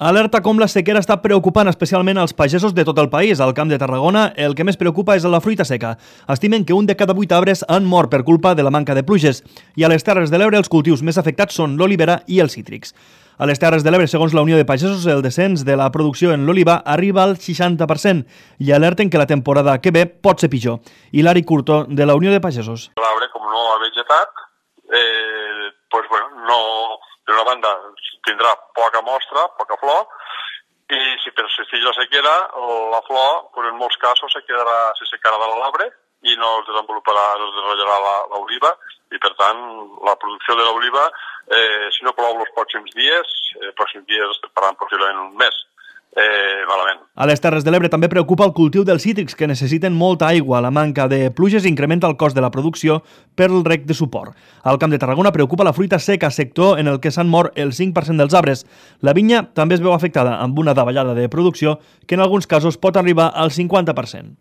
Alerta com la sequera està preocupant especialment als pagesos de tot el país. Al Camp de Tarragona, el que més preocupa és la fruita seca. Estimen que 1 de cada 8 arbres han mort per culpa de la manca de pluges. I a les Terres de l'Ebre els cultius més afectats són l'olivera i els cítrics. A les Terres de l'Ebre, segons la Unió de Pagesos, el descens de la producció en l'oliva arriba al 60% i alerten que la temporada que ve pot ser pitjor. Hilari Curto, de la Unió de Pagesos. L'arbre, com no ha vegetat, no, d'una banda tindrà poca mostra, poca flor, i si persisteix la sequera, la flor, en molts casos, se secarà de l'arbre i no es desenvoluparà l'oliva, i per tant la producció de l'oliva, si no plou els pròxims dies es faran possiblement un mes. Malament. A les Terres de l'Ebre també preocupa el cultiu dels cítrics, que necessiten molta aigua. La manca de pluges incrementa el cost de la producció per el reg de suport. Al Camp de Tarragona preocupa la fruita seca, sector en el que s'han mort el 5% dels arbres. La vinya també es veu afectada amb una davallada de producció que en alguns casos pot arribar al 50%.